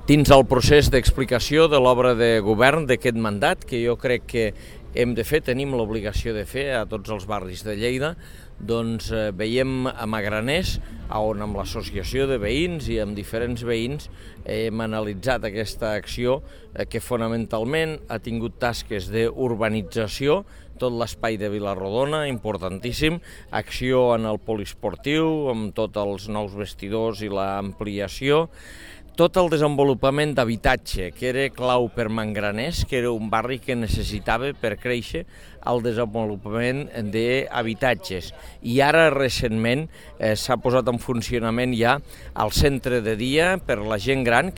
dins el procés d'explicació de l'obra de govern d'aquest mandat, que jo crec que hem de fer, tenim l'obligació de fer a tots els barris de Lleida, doncs veiem a Magraners, on amb l'associació de veïns i amb diferents veïns hem analitzat aquesta acció que fonamentalment ha tingut tasques d'urbanització, tot l'espai de Vilarrodona, importantíssim, acció en el poliesportiu, amb tots els nous vestidors i l'ampliació, tot el desenvolupament d'habitatge, que era clau per Magraners, que era un barri que necessitava per créixer el desenvolupament d'habitatges. I ara, recentment, s'ha posat en funcionament ja el centre de dia per la gent gran,